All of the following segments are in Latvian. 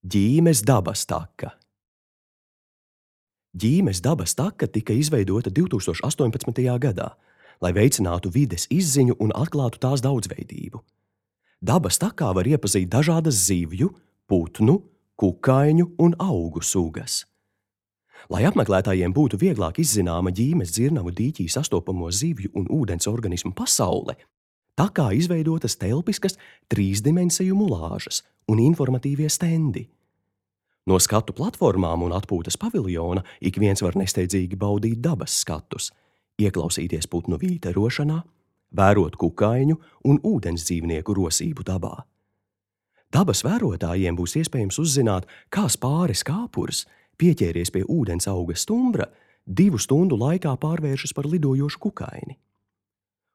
Ģīmes dabas taka. Ģīmes dabas taka tika izveidota 2018. gadā, lai veicinātu vides izziņu un atklātu tās daudzveidību. Dabas takā var iepazīt dažādas zivju, putnu, kukaiņu un augu sugas. Lai apmeklētājiem būtu vieglāk izzināma Ģīmes dzirnavu dīķī sastopamo zivju un ūdens organismu pasaule, takā izveidotas telpiskas trīsdimensiju mulāžas un informatīvie stendi. No skatu platformām un atpūtas paviljona ik viens var nesteidzīgi baudīt dabas skatus, ieklausīties putnu vīterošanā, vērot kukaiņu un ūdens dzīvnieku rosību dabā. Dabas vērotājiem būs iespējams uzzināt, kā spāres kāpurs, pieķēries pie ūdens auga stumbra, 2 stundu laikā pārvēršas par lidojošu kukaini.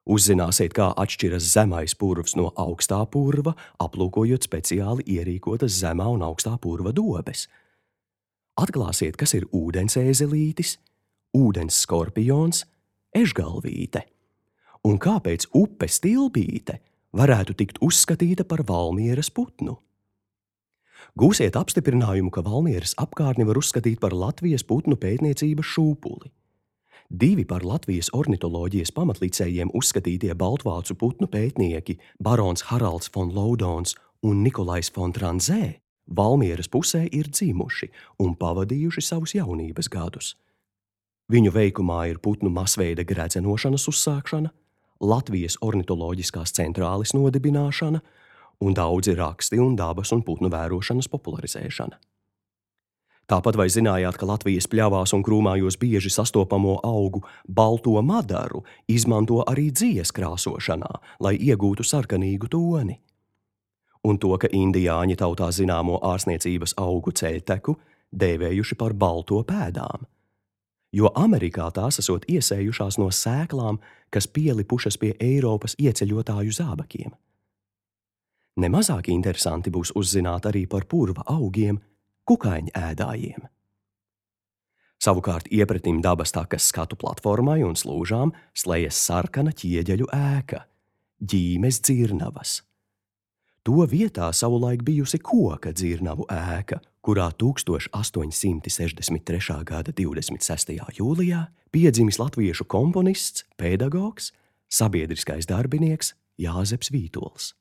Uzzināsiet, kā atšķiras zemais purvs no augstā purva, aplūkojot speciāli ierīkotas zemā un augstā purva dobes. Atklāsiet, kas ir ūdens ēzelītis, ūdens skorpions, ežgalvīte, un kāpēc upes tilbīte varētu tikt uzskatīta par Valmieras putnu. Gūsiet apstiprinājumu, ka Valmieras apkārtni var uzskatīt par Latvijas putnu pētniecības šūpuli. 2 par Latvijas ornitoloģijas pamatlicējiem uzskatītie baltvācu putnu pētnieki barons Haralds fon Laudons un Nikolais fon Tranzē Valmieras pusē ir dzimuši un pavadījuši savus jaunības gadus. Viņu veikumā ir putnu masveida gredzenošanas uzsākšana, Latvijas ornitoloģiskās centrāles nodibināšana un daudzi raksti un dabas un putnu vērošanas popularizēšana. Tāpat vai zinājāt, ka Latvijas pļavās un krūmājos bieži sastopamo augu balto madaru izmanto arī dzijas krāsošanā, lai iegūtu sarkanīgu toni? Un to, ka indiāņi tautā zināmo ārsniecības augu ceļteku dēvējuši par balto pēdām, jo Amerikā tās esot iesējušās no sēklām, kas pielipušas pie Eiropas ieceļotāju zābakiem. Nemazāk interesanti būs uzzināt arī par purva augiem, kukaiņu ēdājiem. Savukārt iepratim dabas takas skatu platformai un slūžām slejas sarkana ķieģeļu ēka – Ģīmes dzirnavas. To vietā savulaik bijusi koka dzirnavu ēka, kurā 1863. gada 26. jūlijā piedzimis latviešu komponists, pedagogs, sabiedriskais darbinieks Jāzeps Vītols.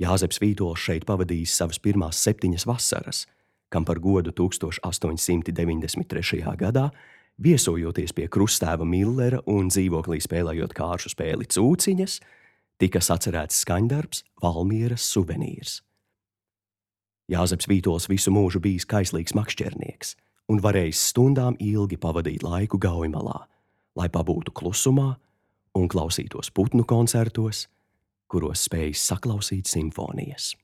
Jāzeps Vītols šeit pavadījis savas pirmās 7 vasaras, kam par godu 1893. gadā, viesojoties pie krustēva Millera un dzīvoklī spēlējot kāršu spēli Cūciņas, tika sacerēts skaņdarbs Valmieras suvenīrs. Jāzeps Vītols visu mūžu bijis kaislīgs makšķernieks un varējis stundām ilgi pavadīt laiku Gaujamalā, lai pabūtu klusumā un klausītos putnu koncertos, kuros spējis saklausīt simfonijas.